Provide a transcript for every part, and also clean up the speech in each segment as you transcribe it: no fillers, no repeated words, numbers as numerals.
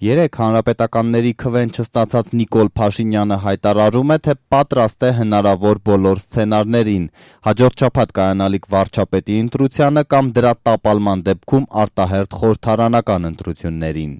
Երեք հանրապետականների քվեն չստացած Նիկոլ Փաշինյանը հայտարարում է, թե պատրաստ է հնարավոր բոլոր սցենարներին, հաջորդ շաբաթ կայանալիք վարչապետի ընտրությանը կամ դրա տապալման դեպքում արտահերթ խորհրդարանական ընտրություններին։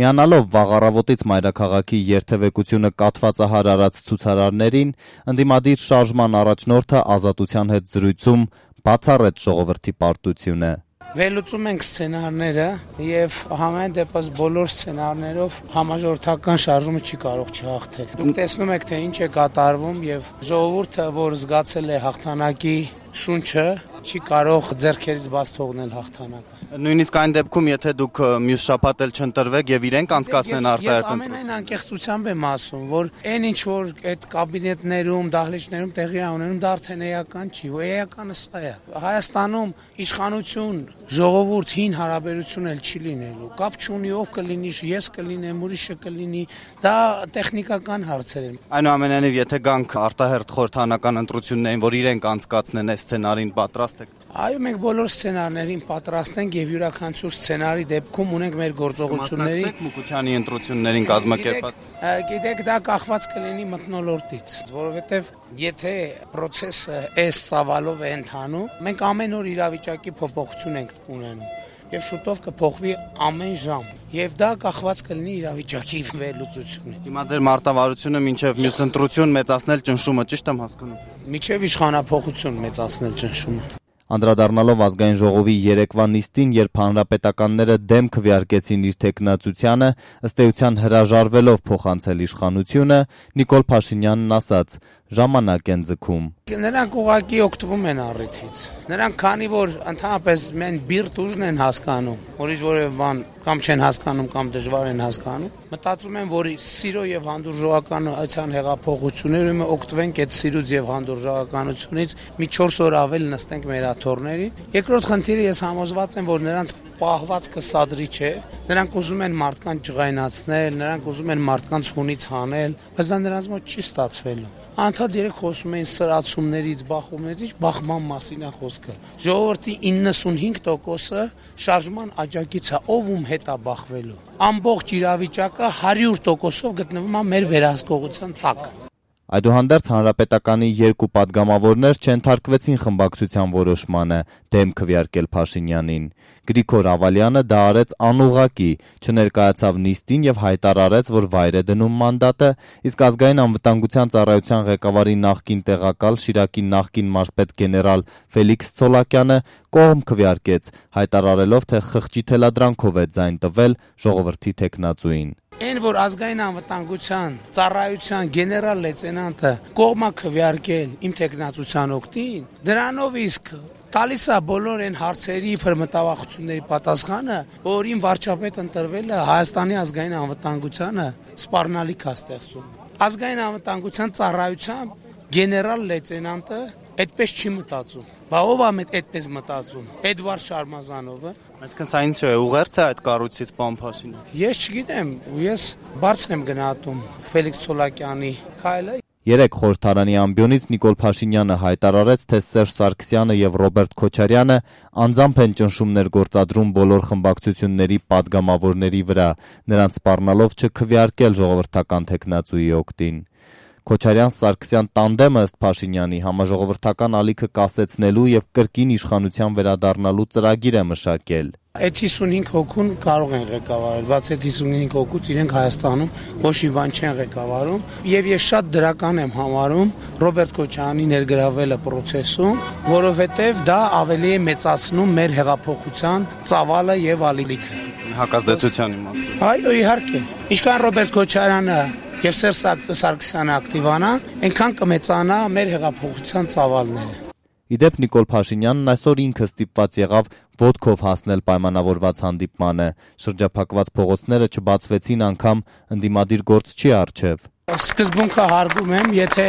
Միանալով վաղ առավոտից մայրաքաղաքի երթևեկությունը կաթվածահար արած ցուցարարներին, ընդդիմադիր շարժման առաջնորդը Ազատության հետ զրույցում բացառեց ժողովրդի պարտությունը։ Վերլուծում ենք սցենարները եւ համայն դեպս բոլոր սցենարներով համաժողովրդական շարժումը չի կարող չհաղթել։ Դուք տեսնում եք, թե ինչ է կատարվում եւ ժողովուրդը, որ զգացել է հաղթանակի շունչը, չի կարող ձեռքերից բաց թողնել հաղթանակը։ Նույնիսկ այն դեպքում, եթե դուք մյուս շաբաթ էլ չընտրվեք եւ իրենք անցկացնեն արտահերթ ընտրություն։ Ես ամենայն անկեղծությամբ եմ ասում, որ այն ինչ որ այդ կաբինետներում, դահլիճներում տեղի ունենում, դա արդեն էական չի, էականը սա է։ Հայաստանում իշխանություն, ժողովուրդ հին հարաբերություն էլ չի լինելու։ Կապ չունի ով կլինի, ես կլինեմ, ուրիշը կլինի, դա տեխնիկական հարցեր են։ Այնուամենայնիվ, եթե գանք արտահերթ խորհրդարանական ընտրություններին, որ իրենք անցկացնեն այս սցենարին, պատրաստ եք։ Այո, մենք բոլոր սցենարներին պատրաստ ենք եւ յուրաքանչյուր սցենարի դեպքում ունենք մեր գործողությունների Մուկուչյանի ընտրություններին կազմակերպած։ Գիտեք, դա կախված կլինի մթնոլորտից, որովհետեւ եթե process-ը այս ծավալով է ընթանում, մենք ամեն օր իրավիճակի փոփոխություն ենք ունենում եւ շուտով կփոխվի ամեն ժամ եւ դա կախված կլինի իրավիճակի վերլուծությունից։ Հիմա ձեր մարտավարությունը մինչեւ մյուս ընտրություն մեծացնել ճնշումը, ճիշտ եմ հասկանում։ Միջև իշխանափոխություն մեծացնել ճնշումը։ Անդրադառնալով ազգային ժողովի երեկվա նիստին, երբ հանրապետականները դեմ քվեարկեցին իր թեկնածությանը, ըստ էության հրաժարվելով փոխանցել իշխանությունը, Նիկոլ Փաշինյանն ասաց. ժամանակ են ձգում։ Նրանք ուղղակի օգտվում են առիթից։ Նրանք քանի որ ընդհանրապես մեն բիրտ ուժն են հասկանում, ուրիշ որևէ բան կամ չեն հասկանում կամ դժվար են հասկանում, մտածում են, որ սիրո եւ հանդուրժողականության հեղափոխությունները օգտվենք այդ սիրուց եւ հանդուրժողականությունից մի 4 օր ավել նստենք մեր աթոռներին։ Երկրորդ խնդիրը ես համոզված եմ, որ նրանց պահվածքը սադրի չէ, նրանք ուզում են մարդկանց ջղայնացնել, նրանք ուզում են մարդկանց հունից հանել, բայց դա նրանց մոտ չի ստացվելու։ Անդադ երեք խոսում էին սրացումներից, բախումներից, բախման մասին է խոսքը։ Ժողովրդի 95%-ը շարժման աջակից է, ով ում հետ է բախվելու։ Ամբողջ իրավիճակը 100%-ով գտնվում է մեր վերահսկողության տակ։ Այդուհանդերձ հանրապետականի երկու падգամավորներ չենթարկվեցին խմբակցության որոշմանը դեմ քվեարկել Փաշինյանին։ Գրիգոր Ավալյանը դա արեց անուղղակի, չներկայացավ նիստին եւ հայտարարեց, որ վայր է դնում մանդատը, իսկ ազգային անվտանգության ծառայության ղեկավարի նախկին տեղակալ Շիրակի նախկին մարզպետ գեներալ Ֆելիքս Ցոլակյանը կողմ քվեարկեց, հայտարարելով, թե խղճի թելադրանքով է ձայն տվել ժողովրդի թեկնածուին։ Այն որ ազգային անվտանգության ծառայության գեներալ լեյտենանտը կողմա քվեարկել իմ թեկնածության օգտին, դրանով իսկ տալիս է բոլոր այն հարցերի մտավախությունների պատասխանը, որ իմ վարչապետ ընտրվելը Հայաստանի ազգային անվտանգությանը սպառնալիք է ստեղծում։ Ազգային անվտանգության ծառայության գեներալ լեյտենանտը այդպես չի մտածում։ Բա ով է այդպես մտածում։ Էդվարդ Շարմազանովը։ Այսինքն սա ինչ է, ուղերձ է այդ կառույցից պարոն Փաշինյան։ Ես չգիտեմ, ես բարձր եմ գնահատում Ֆելիքս Ցոլակյանի քայլը։ Երեք խորհրդարանի ամբիոնից Նիկոլ Փաշինյանը հայտարարեց, թե Սերժ Սարգսյանը եւ Ռոբերտ Քոչարյանը անձամբ են ճնշումներ գործադրում բոլոր խմբակցությունների падգամավորների վրա, նրանց սպառնալով չքվեարկել ժողովրդական թեկնածուի օգտին։ Քոչարյան-Սարգսյան տանդեմը ըստ Փաշինյանի համաժողովրդական ալիքը կասեցնելու եւ կրկին իշխանության վերադառնալու ծրագիր է մշակել։ Այդ 55 հոգուն կարող են ղեկավարել, բայց այդ 55 հոգուց իրենք Հայաստանում ոչ մի բան չեն ղեկավարում եւ ես շատ դրական եմ համարում Ռոբերտ Քոչարյանի ներգրավելը process-ում, որովհետեւ դա ավելի է մեծացնում մեր հեղափոխության ծավալը եւ ալիքը։ Հակազդեցության իմաստով։ Այո, իհարկե։ Ինչքան Ռոբերտ Քոչարյանը եւ Սերժ Սարգսյանը ակտիվանան, այնքան կմեծանա մեր հեղափոխության ծավալները։ Իդեպ Նիկոլ Փաշինյանն այսօր ինքը ստիպված եղավ ոտքով հասնել պայմանավորված հանդիպմանը։ Շրջափակված փողոցները չբացվեցին անգամ ընդդիմադիր գործչի առջև։ Սկզբունքը հարգում եմ, եթե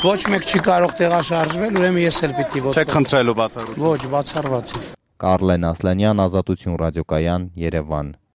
ոչ մեկ չի կարող տեղաշարժվել, ուրեմն ես էլ պիտի ոտքով։ Չեք խնդրելու բացառություն։ Ոչ, բացառված է։ Կարլեն Ասլանյան, Ազատություն ռադիոկայան, Երևան։